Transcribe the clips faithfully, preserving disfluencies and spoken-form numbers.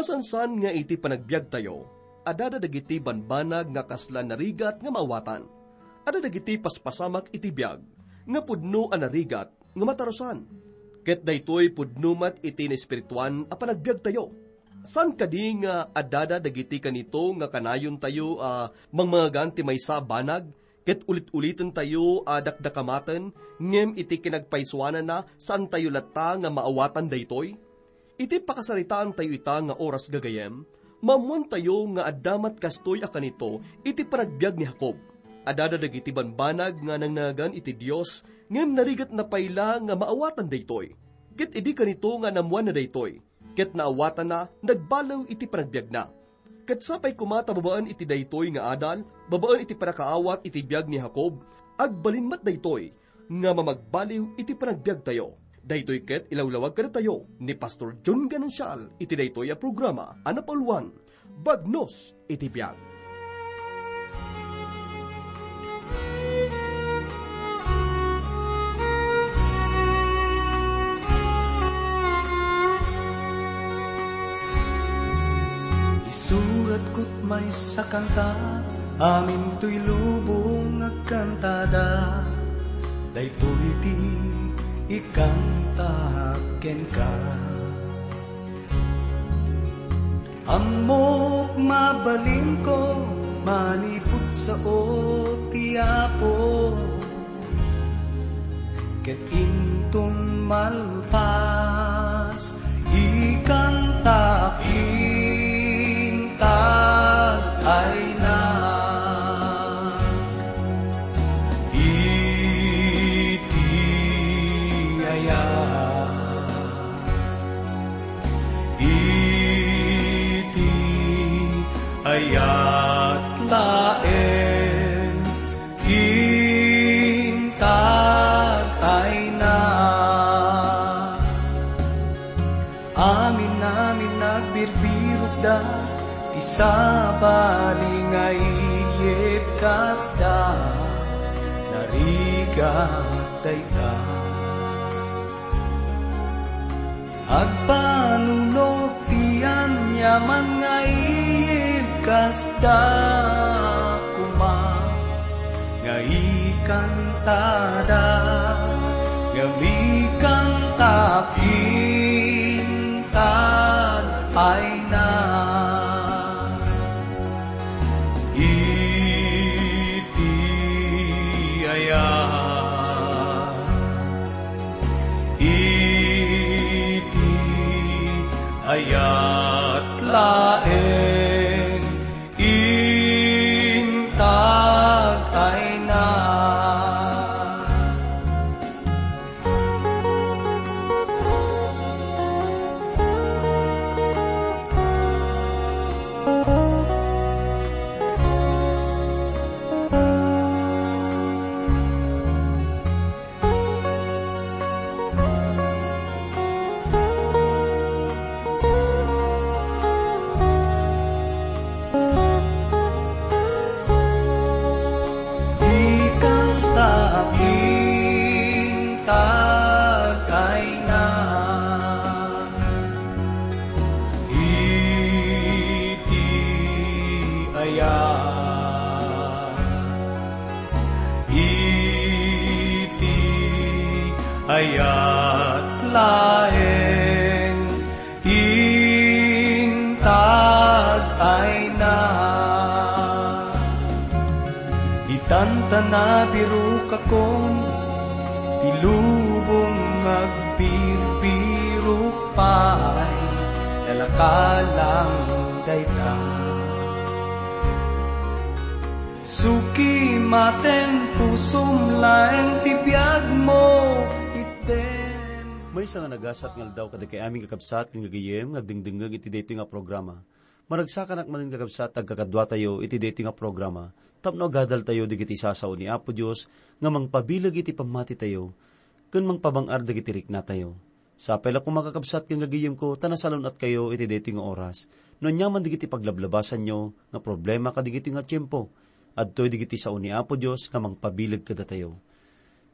Masansan nga iti panagbiagtayo, adda dagiti banbanag nga kasla narigat nga maawatan. Adda dagiti paspasamak iti biag nga pudno a narigat nga matarusan. Ket daytoy pudno met iti naespirituan a panagbiagtayo. Saan kadi nga addada dagiti kanito nga kanayontayo a mangmangagan ti maysa a banag ket ulit-ulitentayo a dakdakamaten, ngem iti kinagpaysuanana, saantayo latta nga maawatan daytoy? Iti pakasaritaantayo ita nga oras gagayem, maammoantayo nga adda met kastoy a kanito iti panagbiag ni Jacob. Addada dagiti banbanag nga nangnangagan iti Dios, ngem narigatna pay la nga maawatan daytoy. Ket idi kanito nga naammoanna daytoy, ket naawatanna, nagbaliw iti panagbiagna. Ket sapay koma ta babaen iti daytoy nga adal, babaen iti pannakaawat iti biag ni Jacob, agbalin met daytoy nga mamagbaliw iti panagbiagtayo. Daytoy ket ilawlawag kadatayo ni Pastor John Ganancial iti daytoy a programa a napauluan, Bagnos iti Biag. Isuratko't maysa kanta, amintoy lubong agkantada. Daytoy ti ikantaak kenka. Ammok mabalinko, manipud sao ti Apo. Ket inton malpas, ikantaak intag ayna. Iti ayat, iti ayat laeng, intag ayna. Amin-amin nagbirbirokda, ti sabali nga iyyeb kasda, narigat dayta. Agpanunot ti aniaman nga iyyeb kasda koma nga ikantada, ngem ikantaak intag ayna. Iti ayat, iti ayat laeng, intag ayna. Ikantaak intag ayna. Iti ayat, iti ayat laeng, intag ayna. Ditan ta nabirokakon, ti lubong nga agbirbirok pay, nalakalang dayta. Suki maten pusom laeng ti biagmo, itdem. Maysa nga nagasat nga aldaw kadagiti amin nga kabsat ken gagayyem nga agdengdengngeg iti daytoy nga programa. Maragsakanak manen, kakabsat, agkakaduatayo iti daytoy nga programa tapno agadaltayo dagiti sasao ni Apo Dios nga mangpabileg iti pammatitayo ken mangpabang-ar dagiti riknatayo. Sapay la koma, kakabsat ken gagayyemko, ta nasalun-atkayo iti daytoy nga oras no aniaman dagiti paglablabasanyo nga problema kadagitoy nga tiempo. Adtoy dagiti sao ni Apo Dios nga mangpabileg kadatayo.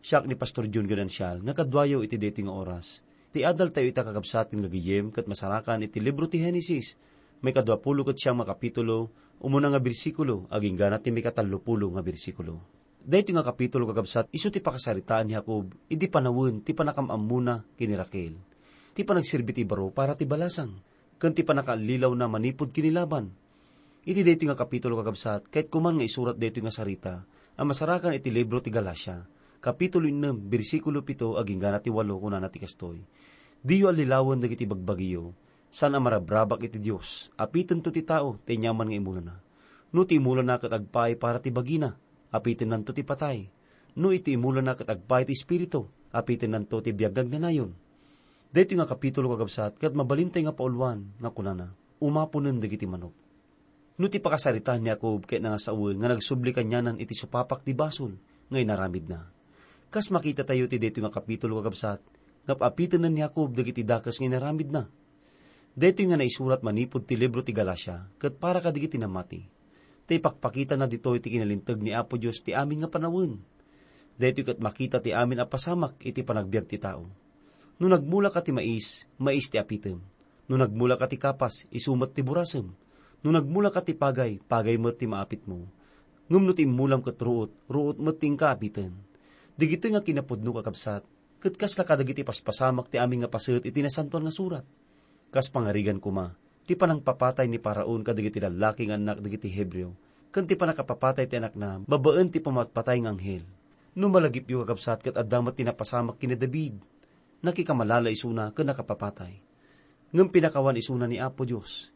Siak ni Pastor John Ganancial nga kaduayo iti daytoy nga oras. Ti adaltayo ita, kakabsat ken gagayyem, ket masarakan iti libro ti Genesis, maikadua pulo ket siam nga kapitulo, umuna nga bersikulo, agingga na ti maikatallo pulo nga bersikulo. Daytoy nga kapitulo, kakabsat, isu ti pakasaritaan ni Jacob idi panawen ti panakam-ammona ken ni Raquel, ti panagserbi ti baro para ti balasang, ken ti panakaallilawna manipud ken ni Laban. Iti daytoy nga kapitulo, kakabsat, kayatko man nga isurat daytoy nga sarita a masarakan iti libro ti Galacia, kapitulo ennem, bersikulo pito agingga na ti walo, kunana ti kastoy: Diyo allilawen dagiti bagbagiyo, saan a marabrabak iti Dios. Apitento ti tao ti aniaman nga imulana. No ti imulana ket agpaay para ti bagina, apitennanto ti patay. No iti imulana ket agpaay ti espiritu, apitennanto ti biag nga agnanayon. Daytoy nga kapitulo, kakabsat, ket mabalintay nga pauluan nga kunana, umaponen dagiti manok. No ti pakasaritaan ni Jacob ket nangasawen nga nagsubli kanianan iti supapak ti basol nga inaramidna. Kas makitatayo ti daytoy nga kapitulo, kakabsat, nga apitennen ni Jacob dagiti dakes nga inaramidna. Daytoy nga naisurat manipud ti libro ti Galacia ket para kadagiti namati. Ta ipakpakitana ditoy ti kinalinteg ni Apo Dios ti amin nga panawen. Daytoy ket makita ti amin a pasamak iti panagbiag ti tao. No nagmulaka ti mais, mais ti apitem. No nagmulaka ti kapas, isu met ti burasem. No nagmulaka ti pagay, pagay met ti maapitmo. Ngem no ti immulam ket ruot, ruot met ti inka apiten. Dagitoy nga kinapudno, kakabsat, ket kasla kadagiti paspasamak ti amin nga paset iti Nasantoan nga Surat. Kas pangarigan koma, ti panangpapatay ni Faraon kadagiti lallaki nga annak dagiti Hebreo, ken ti panakapapatay ti anakna babaen ti pammatpatay nga anghel. No malagipyo, kakabsat, ket adda met ti napasamak ken ni David, nakikamalala isuna ken nakapapatay. Ngem pinakawan isuna ni Apo Dios.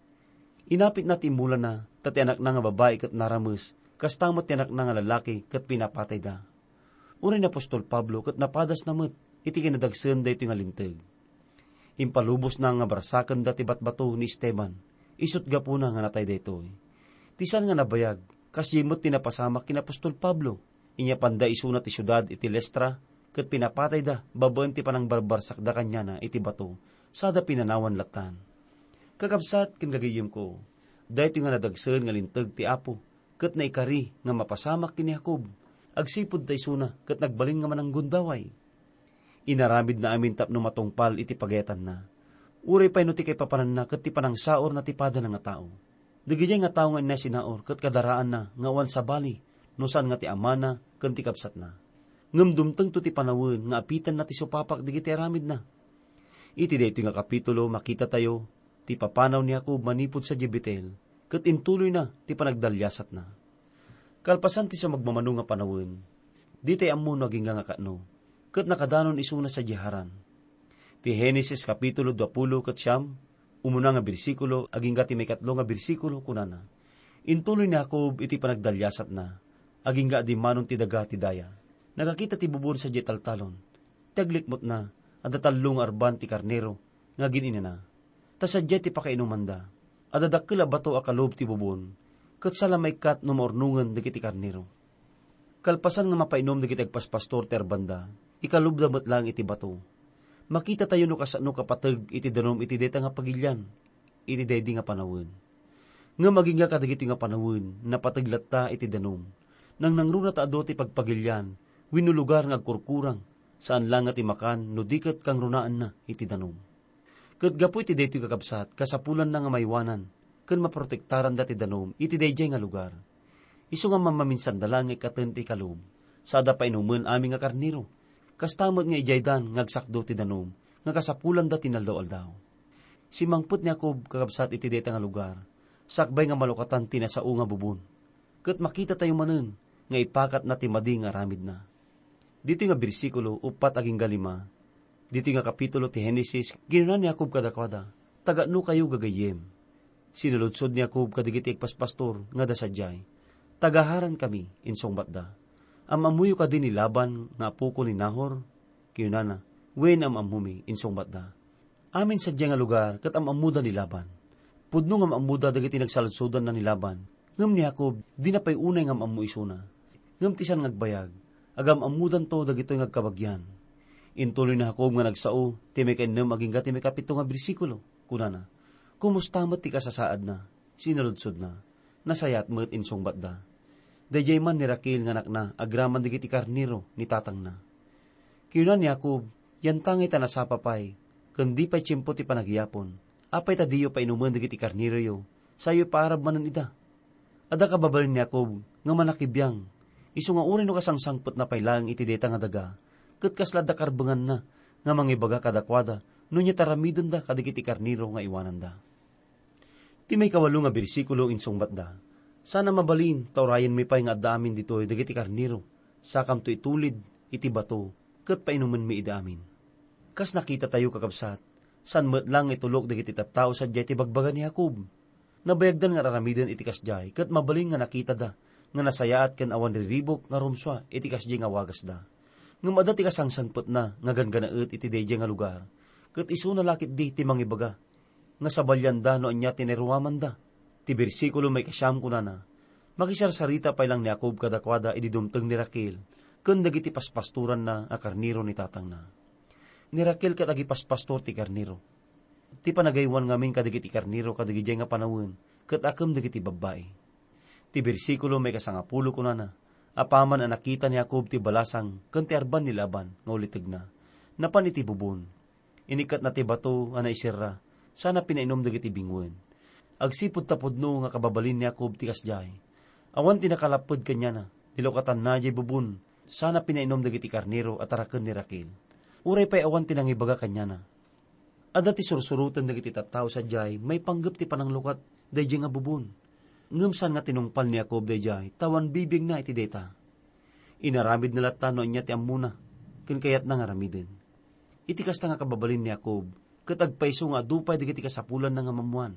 Inapitna ti immulana, ta ti anakna nga babai ket narames, kasta met ti anakna nga lalaki ket pinapatayda. Uray ni apostol Pablo ket napadasna met iti kinadagsen daytoy nga linteg. Impalubosna nga barsakenda ti batbato ni Esteban, isut' gapuna nga natay daytoy. Ti saan nga nabayag, kasdiay met ti napasamak ken apostol Pablo. Inyapanda isuna ti siudad iti Listra, ket pinapatayda babaen ti panangbarbarsakda kaniana iti bato, sada pinanawan lattan. Kakabsat ken gagayyemko, daytoy nga nadagsen nga linteg ti Apo, ket naikari nga mapasamak ken ni Jacob, agsipud ta isuna ket nagbalin nga mananggundaway. Inaramidna amin tapno matungpal iti pagayatanna. Uray pay no ti kaipapananna ket ti panangsaurna ti padana nga tao. Dagidiay nga tao nga inna sinaur ket kadaraanna nga awan sabali, no saan nga ti amana ken ti kabsatna. Ngem dumtengto ti panawen nga apitenna ti supapak dagiti aramidna. Iti daytoy nga kapitulo, makitatayo ti papanaw ni Jacob manipud sadiay Betel, ket intuloyna ti panagdaliasatna. Kalpasan ti sumagmamano nga panawen, ditay ammo no agingga nga katno, ket nakadanon isuna sadiay Haran. Ti Genesis kapitulo dua pulo ket siam, umuna nga bersikulo agingga ti maikatlo nga bersikulo, kunana: Intuloy ni Jacob iti panagdaliasatna, agingga a dimmanon ti daga ti daya. Nakakita ti bubon sadiay taltalon. Ti aglikmutna, adda tallo nga arban ti karnero nga agin-inana. Ta sadiay ti pakainumanda. Adda dakkel a bato a kalub ti bubon, ket saan la maikkat no maurnongen dagiti karnero. Kalpasan nga mapainom dagiti agpaspastor ti arbanda, ikalubda met laeng iti bato. Makitatayo no kasano kapateg iti danum iti dayta nga pagilian, iti daydi nga panawen. Ngem agingga kadagiti nga panawen, napateg latta iti danum. Nangnangruna ta adu ti pagpagilian wenno lugar nga agkurkurang, saan la nga ti makan no di ket kangrunaanna iti danum. Ket gapu iti daytoy, kakabsat, kasapulanna nga maywanan ken maprotektaran dati danum iti daydiay nga lugar. Isu nga mamaminsanda laeng nga ikkaten ti kalub, sada painumen amin nga karnero. Kasta met nga idiaydan nga agsakdo ti danum nga kasapulanda ti naldaw-aldaw. Simmangpet ni Jacob, kakabsat, iti dayta nga lugar, sakbay nga malukatan ti nasao nga bubon. Ket makitatayo manen nga ipakatna ti madi nga aramidna. Ditoy nga bersikulo uppat agingga lima, ditoy nga kapitulo ti Genesis, kinuna ni Jacob kadakuada, "Taga-anokayo, gagayyem?" Sinaludsod ni Jacob kadagiti agpaspastor nga adda sadiay. "Taga-Haran kami," insungbatda. "Am-ammoyo kadi ni Laban nga apoko ni Nahor?" kinunana. "Wen, am-ammomi," insungbatda. Amin sadiay nga lugar ket am-ammoda ni Laban. Pudno nga am-ammoda dagiti nagsaludsodanna ni Laban, ngem ni Jacob, dina pay unay nga am-ammo isuna. Ngem ti saan nga agbayag, agam-ammodanto dagitoy nga agkabagian. Intuloy ni Jacob nga nagsao ti maikainnem agingga ti maikapito nga bersikulo. Kunana, "Kumusta met ti kasasaadna?" Sinaludsodna. "Nasayaat met," insungbatda. "Daydiay man ni Raquel nga anakna agraman dagiti karnero ni tatangna." Kinuna ni Jacob, "Yantangay ta nasapa pay, ken di pay tiempo ti panagyapon. Apay ta diyo painumen dagiti karneroyo, Sayo ipaarab manen ida. Adda kababalin ni Jacob nga manakibiang, isu nga uray no kasangsangpetna pay laeng iti dayta nga daga, ket kasla adda karbenganna nga mangibaga kadakuada no ania ti aramidenda kadagiti karnero nga iwananda. Ti maikawalo nga bersikulo insungbatda, "Saan a mabalin ta urayenmi pay nga adda amin ditoy dagiti karnero, sakamto itulid iti bato ket painumenmi ida amin." Kas nakitatayo, kakabsat, saan met laeng nga itulok dagiti tattao sadiay ti bagbaga ni Jacob. Nabayagdan nga aramiden iti kasdiay ket mabalin nga nakitada nga nasayaat ken awan riribuk nga rumsua iti kasdiay nga wagasda. Ngem adda ti kasangsangpetna nga ganggannaet iti daydiay nga lugar, ket isuna la ketdi ti mangibaga nga sabalianda no ania ti nairuamanda. Ti bersikulo maikasiam kunana, "Makisarsarita pay laeng ni Jacob kadakuada idi dumteng ni Raquel ken dagiti paspastoranna a karnero ni tatangna." Ni Raquel ket agipaspastor ti karnero. Ti panagaywan ngamin kadagiti karnero kadagidiay nga panawen ket akem dagiti babbai. Ti bersikulo maikasangapulo kunana, "Apaman a nakita ni Jacob ti balasang ken ti arban ni Laban nga ulitegna, napan iti bubon. Inikkatna ti bato a naiserra, sana pinainum dagiti binguen." Agsipud ta pudno nga kababalin ni Jacob ti kasdiay, awan ti nakalapped kaniana. Nilukatanna diay bubon, sana pinainum dagiti karnero a taraken ni Raquel. Uray pay awan ti nangibaga kaniana. Adda ti sursuroten dagiti tattao sadiay maipanggep ti pananglukat daydiay nga bubon. Ngem saan nga tinungpal ni Jacob daydiay ta awan bibiagna iti dayta. Inaramidna latta no ania ti ammona ken kayatna nga aramiden. Iti kasta nga kababalin ni Jacob, ket agpayso nga adu pay dagiti kasapulanna nga mammuan,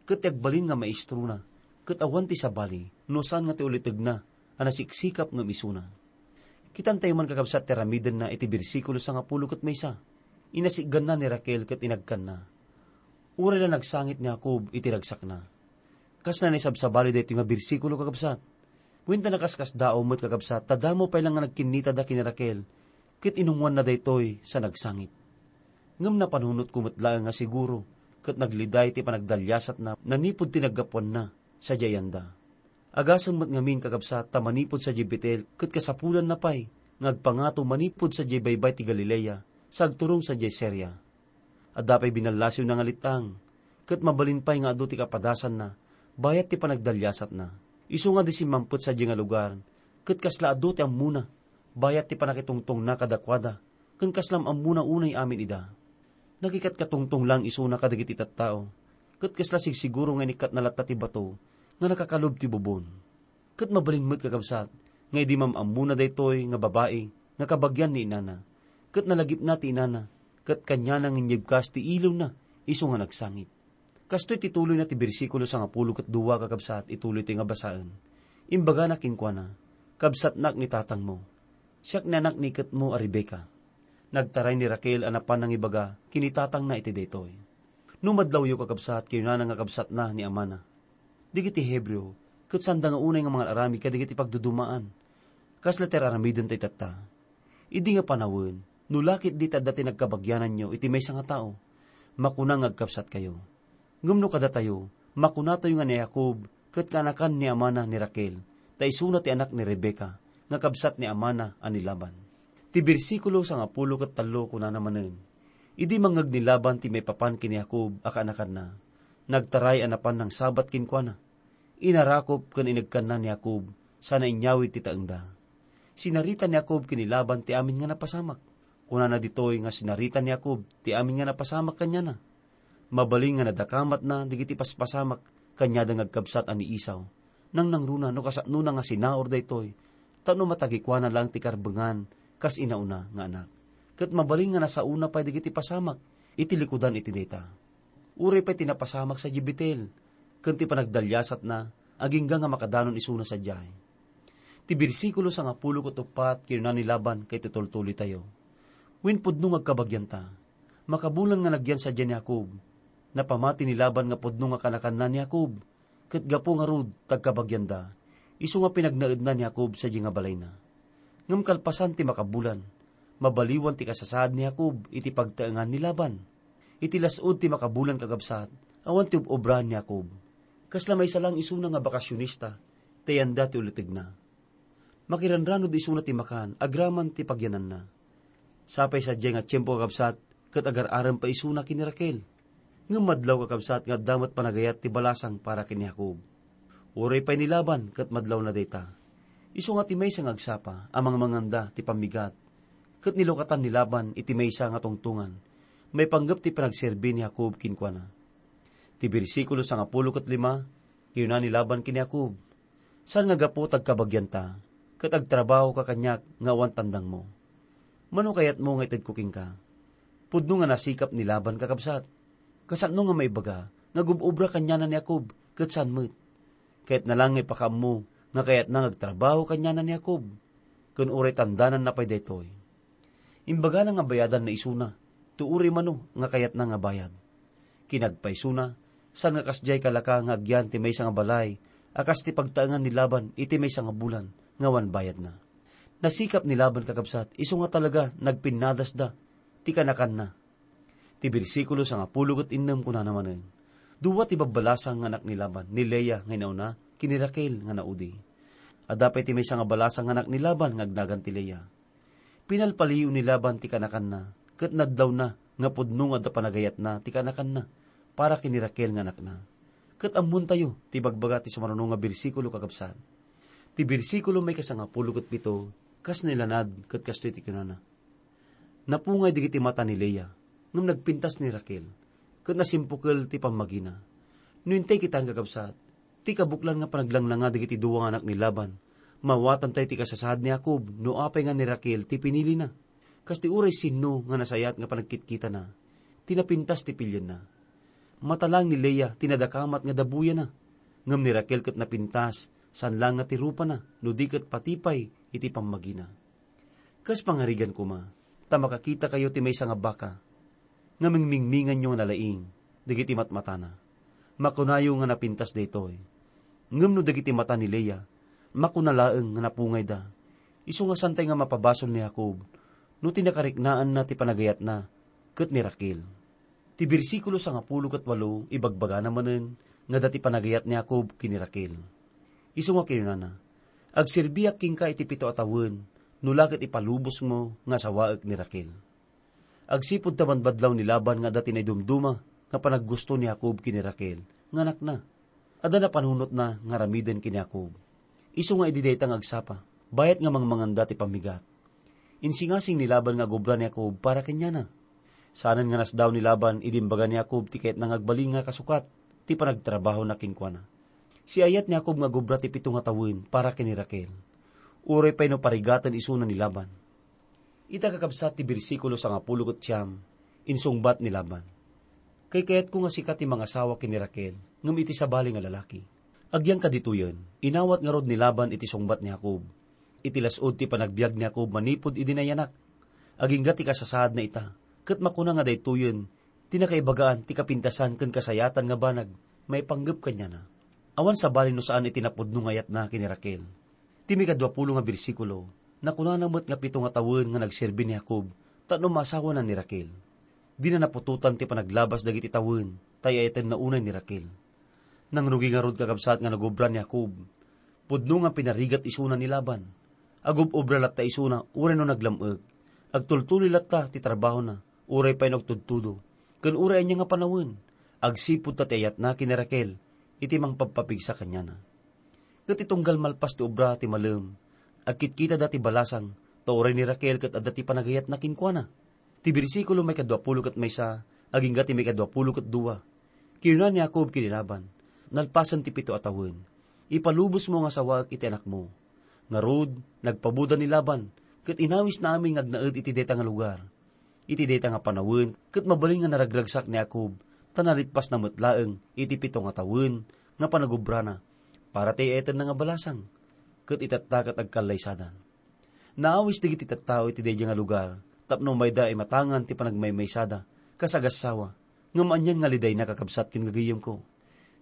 ket ti agbalin nga maestrona, ket awan ti sabali no saan nga ti ulitegna a nasiksikap ngem isuna. Kitantayo man, kakabsat, ti aramidenna iti bersikulo sangapulo ket maysa. Inasitganna ni Raquel ket inagkanna. Uray la nagsangit ni Jacob iti ragsakna. Kasla naisabsabali daytoy nga bersikulo, kakabsat. Wen ta nakaskasdaaw met, kakabsat, ta damo pay la nga nagkinnitada ken ni Raquel, ket inungoanna daytoy sa nagsangit. Ngem napanunotko met laeng nga siguro ket nagliday ti panagdaliasatna manipud ti naggapuanna sadiay anda. Agasem met ngamin, kakabsat, ta manipud sadiay Betel ket kasapulanna pay nga agpangato manipud sadiay baybay ti Galilea sa agturong sadiay Siria. Adda pay binallasiwna nga let-ang, ket mabalin pay nga adu ti kapadasanna bayat ti panagdaliasatna. Isu nga di simmampet sadiay nga lugar, ket kasla adu ti ammona bayat ti pannakitungtongna kadakuada, ken kasla am-ammona unay amin ida. Nakikatkatungtong laeng isuna kadagiti tattao, ket kasla sigsiguro nga inikkatna latta ti bato nga nakakalub ti bubon. Ket mabalin met, kakabsat, nga idi mam-ammona daytoy nga babai nga kabagian ni inana, ket nalagipna ti inana, ket kaniana nga inyebkas ti iliwna isu nga nagsangit. Kastoy ti tuloyna ti bersikulo sangapulo ket dua, kakabsat, ituloy ti nga basaen. Imbagana kenkuana, "Kabsatnak ni tatangmo. Siak ni anak ni iketmo a Rebecca." Nagtaray ni Raquel a napan nangibaga ken ni tatangna iti daytoy. No madlawyo, kakabsat, kinunana nga kabsatna ni amana. Dagiti Hebreo, ket saanda nga unay nga mangan-aramid kadagiti pagdudumaan. Kasla ti ar-aramiden tayo tatta. Idi nga panawen, no la ketdi ti adda ti nagkabagiananyo iti maysa nga tao, makuna nga agkabsatkayo. Ngem no kadatayo, makunatayo nga ni Jacob ket kaanakan ni amana ni Raquel, ta isuna ti anak ni Rebecca, nga kabsat ni amana a ni Laban. Ti bersikulo sangapulo ket tallo kunana manen, "Idi mangngeg ni Laban ti maipapan ken ni Jacob a kaanakanna, nagtaray a napan nangsabat kenkuana. Inarakop ken inegkanna ni Jacob sana inyawid ti taengda." Sinarita ni Jacob ken ni Laban ti amin nga napasamak. Kunana ditoy nga sinarita ni Jacob ti amin nga napasamak kaniana. Mabalin nga nadakamatna dagiti paspasamak kaniada nga agkabsat a ni Esau. Nangnangruna no kasapnona nga sinaur daytoy, tapno matagikuana laeng ti karbengan kas inauna nga anak. Ket mabalin nga nasaona pay dagiti pasamak iti likudan iti dayta. Uray pay ti napasamak sadiay Betel, ken ti panagdaliasatna agingga nga makadanon isuna sadiay. Ti bersikulo sangapulo ket uppat kinuna ni Laban, ket itultuloytayo. Wen pudno nga agkabagianta, makabulan nga nagyan sadiay ni Jacob. Napamati ni Laban nga pudno nga kanakanna ni Jacob, ket gapu ngarud ta agkabagianda, isu nga pinagnaedna ni Jacob sadiay nga balayna. Ngem kalpasan ti makabulan, mabaliwan ti kasasaad ni Jacob iti pagtaengan ni Laban. Iti las-ud ti makabulan, kakabsat, awan ti ob-obraen ni Jacob. Kasla maysa laeng isuna nga bakasionista, ta iyanda ti ulitegna. Makiranranuda isuna ti makan agraman ti pagyananna. Sapay sadiay nga tiempo, kakabsat, ket agar-arem pay isuna ken ni Raquel. Ngem madlaw, kakabsat, nga adda met panagayat ti balasang para ken ni Jacob. Uray pay ni Laban ket madlawna dayta. Isu nga ti maysa nga agsapa a mangmanganda ti pammigat, ket nilukatan ni Laban iti maysa nga tungtongan maipanggep ti panagserbi ni Jacob kenkuana. Ti bersikulo sangapulo ket lima, kinuna ni Laban ken ni Jacob, "Saan nga gapu ta agkabagianta, ket agtrabahoka kaniak nga awan tandangmo? Mano kayatmo nga itedko kenka?" Pudno nga nasikap ni Laban, kakabsat. Kasano nga maibaga nga gub-obra kaniana ni Jacob ket saan met? Kayatna lang nga ipakaammo nga kayatna nga agtrabaho kaniana ni Jacob, ken uray tandananna pay daytoy. Imbagana nga bayadanna isuna ti uray mano nga kayatna nga bayad. Kinagpaisuna, saan nga kasdiay kalaka nga agyan ti maysa nga balay a kas ti pagtaengan ni Laban iti maysa nga bulan nga awan bayadna. Nasikap ni Laban, kakabsat, isu nga talaga nagpinnadasda ti kanakanna. Ti bersikulo sangapulo ket innem kunana manen, dua ti babbalasang nga anak ni Laban, ni Lea nga inauna ken ni Raquel nga naudi. Adda pay ti maysa nga balasang nga anak ni Laban nga agnagan ti Lea. Pinalpaliw ni Laban ti kanakanna, ket nadlawna nga pudno nga adda panagayatna ti kanakanna para ken ni Raquel nga anakna. Ket ammontayo ti ibagbaga ti sumaruno nga bersikulo, kakabsat. Ti bersikulo maikasangapulo ket pito, kas nailanad ket kastoy ti kunana, "Napungay dagiti mata ni Lea, ngem nagpintas ni Raquel, ket nasimpukel ti pammagina." No intay kitaen, kakabsat, ti kabuklan nga panaglanglanga dagiti dua nga anak ni Laban, maawatantayo ti kasasaad ni Jacob no apay nga ni Raquel ti pinilina. Kas ti uray sinno nga nasayaat nga panagkitkitana, ti napintas ti pilienna. Mata laeng ni Lea ti nadakamat nga dabuyana, ngem ni Raquel ket napintas, saan laeng nga ti rupana, no di ket pati pay iti pammagina. Kas pangarigan koma, ta makakitakayo ti maysa nga baka nga mingmingminganyo nga nalaing dagiti matmatana. Makunayo nga napintas daytoy. Ngem no dagiti mata ni Lea, makuna laeng nga napungayda. Isu nga santay nga mapabasol ni Jacob no ti nakariknaanna ti panagayatna ket ni Raquel. Ti bersikulo sangapulo ket walo ibagbagana manen nga adda ti panagayat ni Jacob ken ni Raquel. Isu nga kinunana, "Agserbiak kenka iti pito a tawen, no la ket ipalubosmo nga asawaek ni Raquel." Agsipud ta banbadlaw ni Laban nga adda ti naidumduma nga panaggusto ni Jacob ken ni Raquel nga anakna. Adda napanunotna nga aramiden ken ni Jacob. Isu nga idi dayta nga agsapa, bayat nga mangmanganda ti pammigat. Insingasing ni Laban nga agubra ni Jacob para kaniana. Saanen nga nasdaaw ni Laban idi imbaga ni Jacob ti kayatna nga agbalin nga kasukat ti panagtrabahona kenkuana. Siayat ni Jacob nga agubra ti pito nga tawen para ken ni Raquel, uray pay no parigaten isuna ni Laban. Ita, kakabsat, ti bersikulo sangapulo ket siam, insungbat ni Laban, "Kaykayatko nga sika ti mangasawa ken ni Raquel, ngem iti sabali nga lalaki." Agyan kaditoyen, inawat ngarud ni Laban iti sungbat ni Jacob. Iti las-ud ti panagbiag ni Jacob manipud idi nayanak, agingga ti kasasaadna ita, ket makuna nga daytoyen ti nakaibagaan ti kapintasan ken kasayaatan nga banag maipanggep kaniana. Awan sabali no saan iti napudno nga ayatna ken ni Raquel. Ti maikadua pulo nga bersikulo, nakunana met nga pito nga tawen nga nagserbi ni Jacob tapno maasawana ni Raquel. Dina naputotan ti panaglabas dagiti tawen, ta ay-ayatenna unay ni Raquel. Nangrugi ngarud, kakabsat, nga nagubra ni Jacob. Pudno nga pinarigat isuna ni Laban. Agub-obra latta isuna uray no naglam-ek. Agtultuloy latta ti trabahona, uray pay no agtudtudo. Ken uray ania nga panawen, agsipud ta ti ayatna ken ni Raquel iti mangpagpapigsa kaniana. Ket ti tunggal malpas ti obra ti malem, agkitkitada ti balasang, ta uray ni Raquel ket adda ti panagayatna kenkuana. Ti bersikulo maikadua pulo ket maysa agingga ti maikadua pulo ket dua. Kinuna ni Jacob ken ni Laban, "Nalpasen ti pito a tawen, ipalubosmo nga asawaek iti anakmo." Ngarud, nagpabuda ni Laban, ket inawisna amin nga agnaed iti dayta nga lugar. Iti dayta nga panawen, ket mabalin nga naragragsak ni Jacob, ta nalipasna met laeng iti pito nga tawen nga panagubrana, para ti ay-ayatenna nga balasang, ket itatta ket agkallaysadan. Naawis dagiti tattao iti daydiay nga lugar tapno umayda imatangan ti panagmaymaysada kas agassawa, ngem anian nga lidayna, kakabsat ken gagayyemko.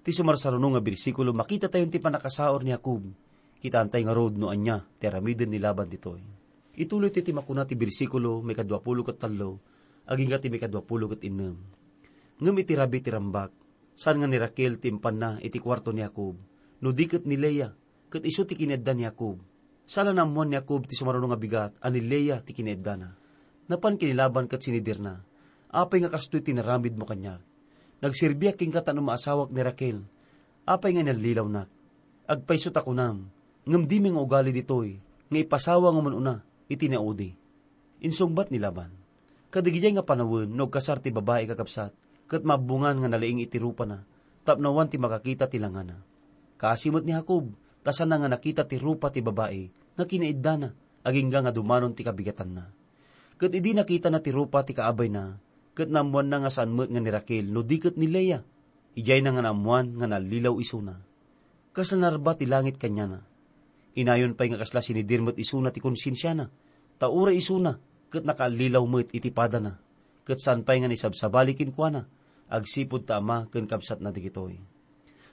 Ti sumarsaruno nga bersikulo, makitatayon ti pannakasaur ni Jacob. Kitaantay ngarud no ania ti aramiden ni Laban ditoy. Ituloyto ti makuna ti bersikulo maikadua pulo ket tallo agingga ti maikadua pulo ket innem. Ngem iti rabii ti rambak, saan nga ni Raquel ti impanna iti kuarto ni Jacob, no di ket ni Lea, ket isu ti kinaedda ni Jacob. Saan a naammoan ni Jacob ti sumaruno nga bigat a ni Lea ti kinaeddana. Napan ken ni Laban ket sinidirna, "Apay nga kastoy ti inaramidmo kaniak? Nagserbiak kenka tapno maasawak ni Raquel. Apay nga inallilawnak? Agpayso ta kunam, ngem dimi nga ugali ditoy nga ipasawa nga umuna iti naudi. Insungbat ni Laban, "Kadagidiay nga panawen no agkasar ti babai, kakabsat, ket mabbungan nga nalaing iti rupana, tapno awan ti makakita ti langana." Kaasi met ni Jacob, ta saanna nga nakita ti rupa ti babai nga kinaiddana, agingga nga dumanon ti kabigatanna. Ket idi nakitana ti rupa ti kaabayna, ket naammoanna nga saan met nga ni Raquel no di ket ni Lea. Idiayna nga naammoan nga nallilaw isuna. Kasla narba ti langit kaniana. Inayon pay nga kasla sinidir met isuna ti konsensiana, ta uray isuna ket nakaallilaw met iti padana, ket saan pay nga naisabsabali kenkuana, agsipud ta ama ken kabsatna dagitoy.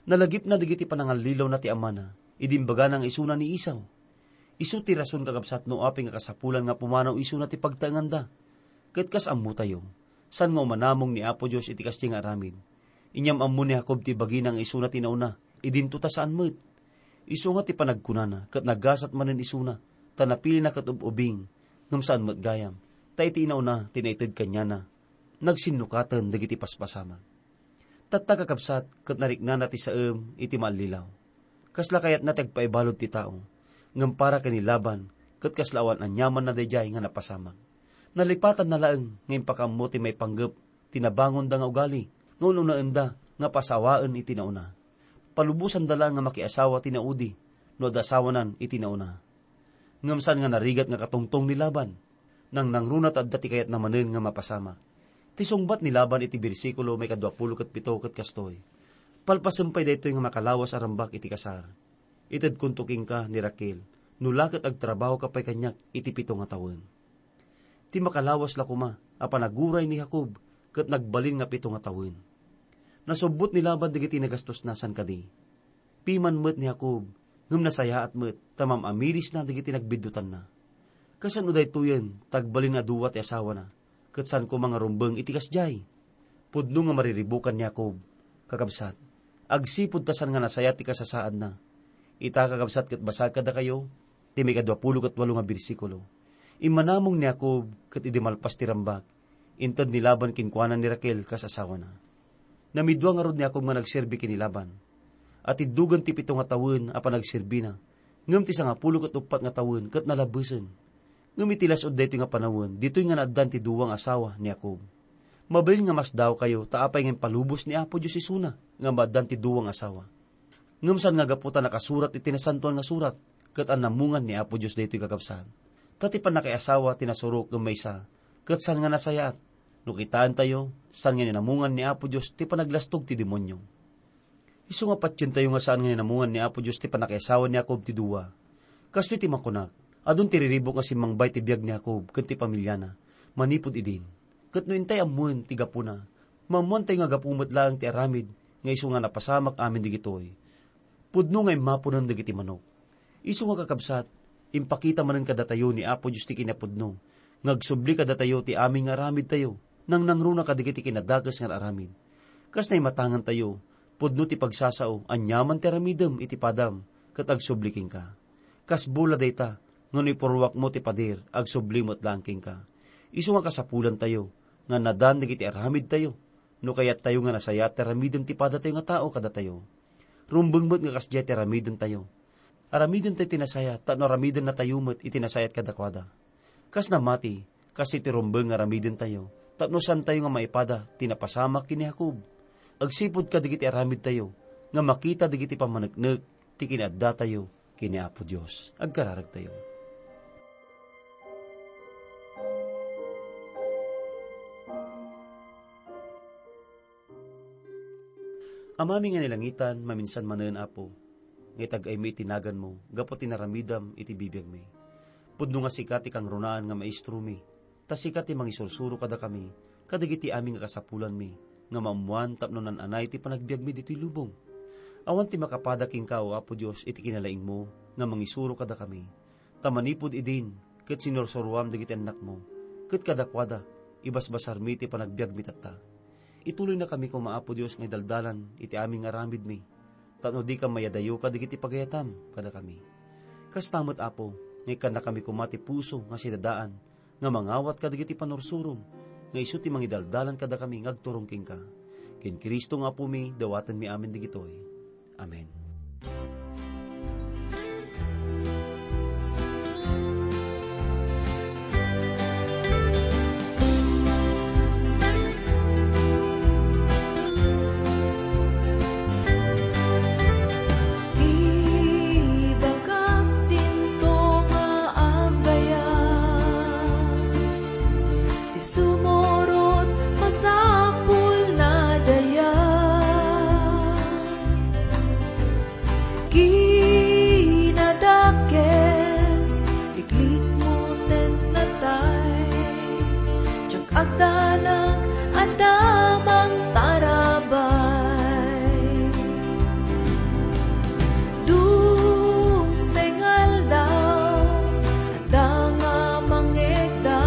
Nalagipna dagiti panangallilawna ti amana idi imbagana nga isuna ni Esau. Isu ti rason, kakabsat, no apay nga kasapulan nga pumanaw isuna ti pagtaenganda. Ket kas ammotayo, saan nga umanamong ni Apo Dios iti kasdiay nga aramid. Inyam-ammo ni Jacob ti bagina nga isuna ti nauna, idinto ta saan met. Isu nga ti panagkunana ket nagasat manen isuna, ta napilina ket ub-ubing, ngem saan met gayam, ta iti inauna ti naited kaniana, nagsinnukaten dagiti paspasamak. Tatta, kakabsat, ket nariknana ti saem iti maallilaw. Kasla kayatna ti agpaibalud ti tao, ngem para ken ni Laban, ket kasla awan aniamanna daydiay nga napasamak. Nalipatanna laeng nga impakaammo ti maipanggep ti nabangonda nga ugali, nga un-unaenda nga pasawaen iti nauna. Palubosanda laeng nga makiasawa ti naudi no adda asawanan iti nauna. Ngem saan nga narigat nga katungtong ni Laban. Nangnangruna ta adda ti kayatna manen nga mapasamak. Ti sungbat ni Laban iti bersikulo maikadua pulo ket pito ket kastoy, "Palpasem pay daytoy nga makalawas a rambak iti kasar. Itedkonto kenka ni Raquel, no la ket agtrabahoka pay kaniak iti pito nga tawen." Ti makalawas la koma a panaguray ni Jacob ket nagbalin nga pito nga tawen. Nasubbot ni Laban dagiti nagastosna, saan kadi? Piman met ni Jacob, ngem nasayaat met ta mam-amirisna dagiti nagbiddutanna. Kasano daytoyen ta agbalin a dua ti asawana, ket saan koma nga rumbeng iti kasdiay? Pudno nga mariribukan ni Jacob, kakabsat, agsipud ta saan nga nasayaat ti kasasaadna. Ita, kakabsat, ket basag kadakayo ti maikadua pulo ket walo nga bersikulo. Immanamong ni Jacob, ket idi malpas ti rambak, inted ni Laban kenkuana ni Raquel kas asawana. Namidua ngarud ni Jacob nga nagserbi ken ni Laban. Atiddogen ti pito nga tawen a panagserbina, ngem ti sangapulo ket uppat nga tawen ket nalabbesen. Ngem iti las-ud daytoy nga panawen, ditoy nga naaddan ti dua nga asawa ni Jacob. Mabalin nga masdaawkayo ta apay nga impalubos ni Apo Dios isuna nga maaddan ti dua nga asawa. Ngem saan nga gapu ta nakasurat iti Nasantoan nga Surat, ket annamungan ni Apo Dios daytoy, kakabsat. Ta ti pannakaiasawa ti nasurok ken maysa, ket saan nga nasayaat. No kitaentayo, saan nga inamungan ni Apo Dios ti panaglastog ti demonio. Isu nga patientayo nga saan nga inamungan ni Apo Dios ti pannakaiasawa ni Jacob ti dua. Kastoy ti makunak, adun ti riribuk nga simmangbay ti biag ni Jacob ken ti pamiliana manipud idin. Ket no intay ammoen ti gapuna, maammoantayo nga gapu met laeng ti aramid nga isu nga napasamak amin dagitoy. Pudno nga immaponen dagiti manok. Isu nga, kakabsat, impakita manen kadatayo ni Apo Dios ti kinapudno nga agsubli kadatayo ti amin nga aramidtayo, nangnangruna kadagiti kinadakes nga aramid. Kas naimatangantayo, pudno ti pagsasao, aniaman ti aramidem iti padam, ket agsubli kenka. Kas bola dayta, nga no ipurruakmo ti pader, agsubli met laeng kenka. Isu nga kasapulantayo nga nadan dagiti aramidtayo, no kayattayo nga nasayaat ti aramiden ti padatayo nga tao kadatayo. Rumbeng met nga kasdiay ti aramidentayo. Aramidentayo ti nasayaat tapno aramidennatayo met iti nasayaat kadakuada. Kas namati, kas iti rumbeng nga aramidentayo, tapno saantayo nga maipada ti napasamak ken ni Jacob. Agsipud kadagiti aramidtayo nga makita dagiti pammaneknek ti kinaaddatayo ken ni Apo Dios. Agkararagtayo. Amami nga ni langitan, maminsan manen, Apo, nga itag-aymi iti naganmo gapu ti naramidam iti bibiagmi. Pudno nga sika ti kangrunaan nga maestromi, ta sika ti mangisursuro kadakami kadagiti amin nga kasapulanmi nga maammoan tapno naan-anay ti panagbiagmi ditoy lubong. Awan ti makapada kenka, O Apo Dios, iti kinalaingmo nga mangisuro kadakami. Ta manipud idin, ket sinursuroam dagiti annakmo, ket kadakuada, ibasbasarmi ti panagbiagmi tatta. Ituloynakami koma, Apo Dios, nga idaldalan iti amin nga aramidmi, tapno dika mayadayo kadagiti pagayatam kadakami. Kasta met, Apo, nga ikkannakami koma ti puso nga sidadaan nga mangawat kadagiti panursurom, nga isu ti mangidaldalan kadakami nga agturong kenka. Ken Cristo nga Apomi, dawatenmi amin dagitoy. Amen. Ibagak dinto nga agayat, ti sumurot masapul nadaya. Kinadakes, iklikmo ten natay, diak agdanag, adda mangtarabay. Dungteng aldaw, adda nga mangegda,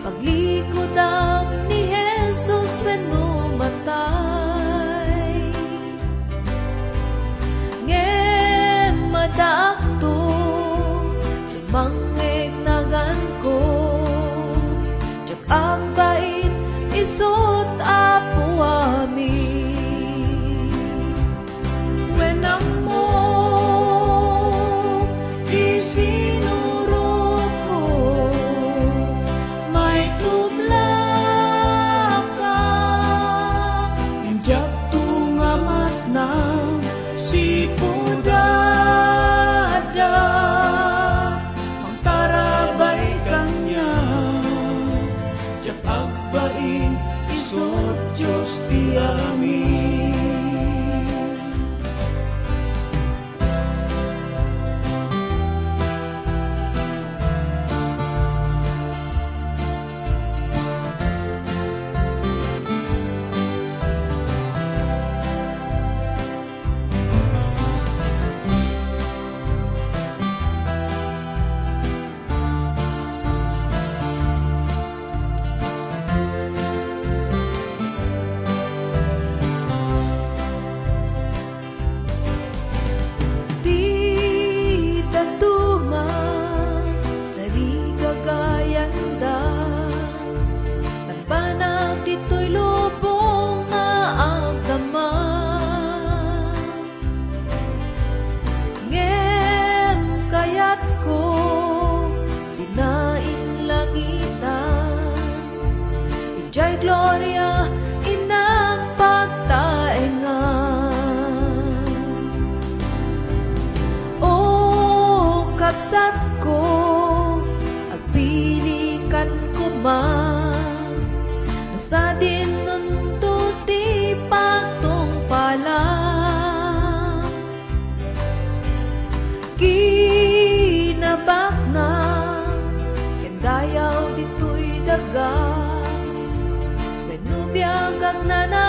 paglikudam ni Jesus wenno matay. Ngem addaakto, tumangngegnaganko, diak agbain isut' Apo amin. Wen ammo ti sinurotko, maitublaka. Diakto nga matnang sipud adda mangtarabay kaniak. Diak agbain isut' Dios ti amin. Ti dadduma, tarigagayanda, panpanag ditoy lubong nga agdama. Ngem kayatko, dina inlangitan, idiay gloria innak pagtaengan. O kabsatko, agpilikan koma, no sadinonto ti pagtungpalan. Kinabaknang ken dayaw ditoy daga, wenno biag agnana